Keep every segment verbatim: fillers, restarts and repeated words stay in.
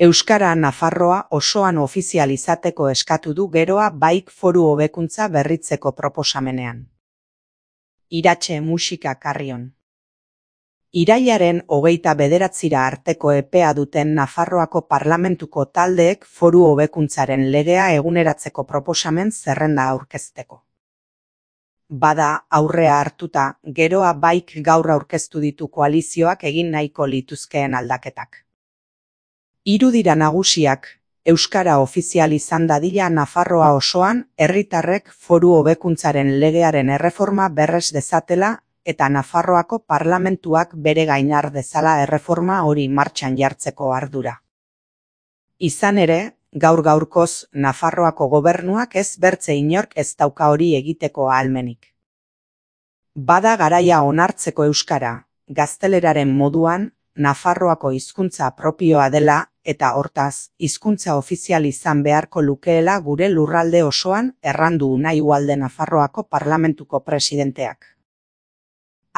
Euskara Nafarroa osoan ofizial izateko eskatu du Geroa Baik foru hobekuntza berritzeko proposamenean. Iratxe musika Carrion. Irailaren hogeita bederatzira arteko epea duten Nafarroako parlamentuko taldeek foru hobekuntzaren legea eguneratzeko proposamen zerrenda aurkezteko. Bada, aurrea hartuta, Geroa Baik gaur aurkeztu ditu koalizioak egin nahiko lituzkeen aldaketak. Hiru dira nagusiak, euskara ofizial izan dadila Nafarroa osoan, herritarrek foru hobekuntzaren legearen erreforma berres dezatela eta Nafarroako parlamentuak bere gain har dezala erreforma hori martxan jartzeko ardura. Izan ere, gaur gaurkoz Nafarroako gobernuak ez bertze inork ez dauka hori egiteko ahalmenik. Bada garaia onartzeko euskara, gazteleraren moduan, Nafarroako hizkuntza propioa dela eta hortaz, hizkuntza ofizial izan beharko lukeela gure lurralde osoan errandu nahi ualde Nafarroako parlamentuko presidenteak.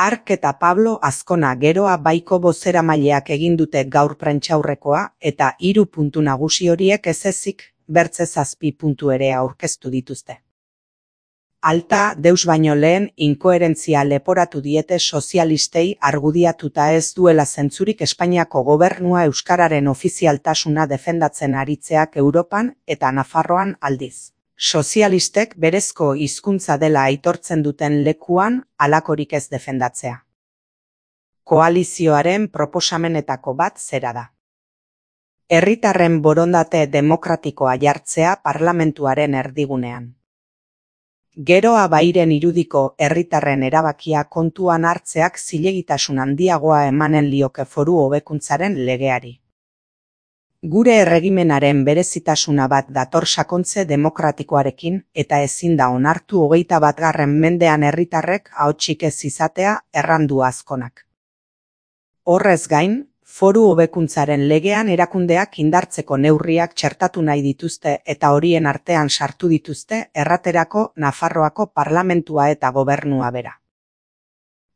Ark eta Pablo Azkona Geroa Baiko bozeramaileak egin dute gaur prentsaurrekoa eta hiru puntu nagusi horiek ez ezik, bertze zazpi puntu ere aurkeztu dituzte. Alta, deus baino lehen, inkoherentzia leporatu diete sozialistei argudiatuta ez duela zentzurik Espainiako gobernua euskararen ofizialtasuna defendatzen aritzeak Europan eta Nafarroan aldiz. Sozialistek berezko hizkuntza dela aitortzen duten lekuan halakorik ez defendatzea. Koalizioaren proposamenetako bat zera da. Herritarren borondate demokratikoa jartzea parlamentuaren erdigunean. Geroa Bairen irudiko herritarren erabakia kontuan hartzeak zilegitasun handiagoa emanen lioke foru hobekuntzaren legeari. Gure erregimenaren berezitasuna bat dator sakontze demokratikoarekin eta ezin da onartu hogeita batgarren mendean herritarrek ahotsik ez izatea errandu Azkonak. Horrez gain, foru hobekuntzaren legean erakundeak indartzeko neurriak txertatu nahi dituzte eta horien artean sartu dituzte erraterako Nafarroako parlamentua eta gobernua bera.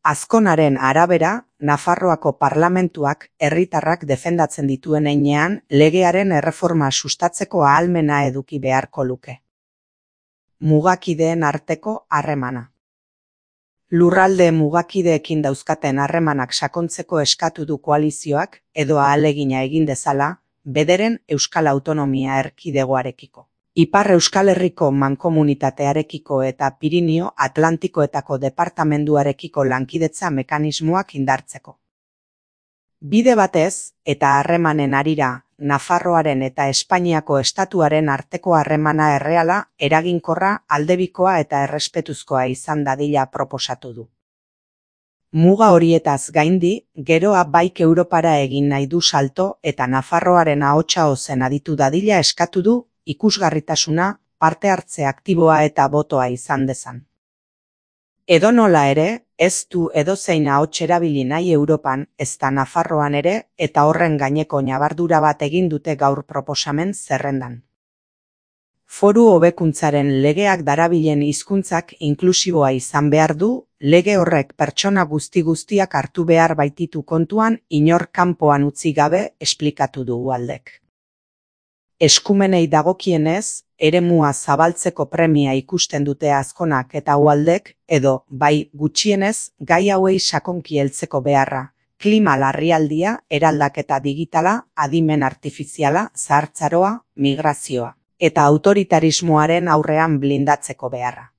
Azkonaren arabera, Nafarroako parlamentuak herritarrak defendatzen dituen heinean legearen erreforma sustatzeko ahalmena eduki beharko luke. Mugakideen arteko harremana. Lurralde mugakideekin dauzkaten harremanak sakontzeko eskatu du koalizioak edo ahalegina egin dezala, bederen Euskal Autonomia Erkidegoarekiko. Ipar Euskal Herriko mankomunitatearekiko eta Pirinio Atlantikoetako departamenduarekiko lankidetza mekanismoak indartzeko. Bide batez, eta harremanen harira, Nafarroaren eta Espainiako estatuaren arteko harremana erreala, eraginkorra, aldebikoa eta errespetuzkoa izan dadila proposatu du. Muga horietaz gaindi, Geroa Baik Europara egin nahi du salto eta Nafarroaren ahotsa ozen aditu dadila eskatu du, ikusgarritasuna, parte hartze aktiboa eta botoa izan dezan. Edonola ere, ez du edozein ahots erabili nahi Europan, ezta Nafarroan ere, eta horren gaineko ñabardura bat egin dute gaur proposamen zerrendan. Foru hobekuntzaren legeak darabilen hizkuntzak inklusiboa izan behar du, lege horrek pertsona guzti guztiak hartu behar baititu kontuan inor kanpoan utzi gabe esplikatu du ualdek. Eskumenei dagokienez, eremua zabaltzeko premia ikusten dute Azkonak eta ualdek, edo, bai, gutxienez, gai hauei sakonki heltzeko beharra, klima larrialdia, eraldaketa digitala, adimen artifiziala, zahartzaroa, migrazioa, eta autoritarismoaren aurrean blindatzeko beharra.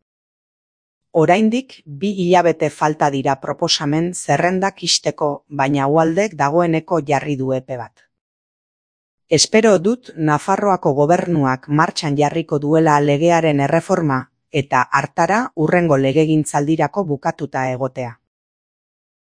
Oraindik, bi hilabete falta dira proposamen zerrendak ixteko, baina ualdek dagoeneko jarri du epe bat. Espero dut Nafarroako gobernuak martxan jarriko duela legearen erreforma eta hartara hurrengo legegintzaldirako bukatuta egotea.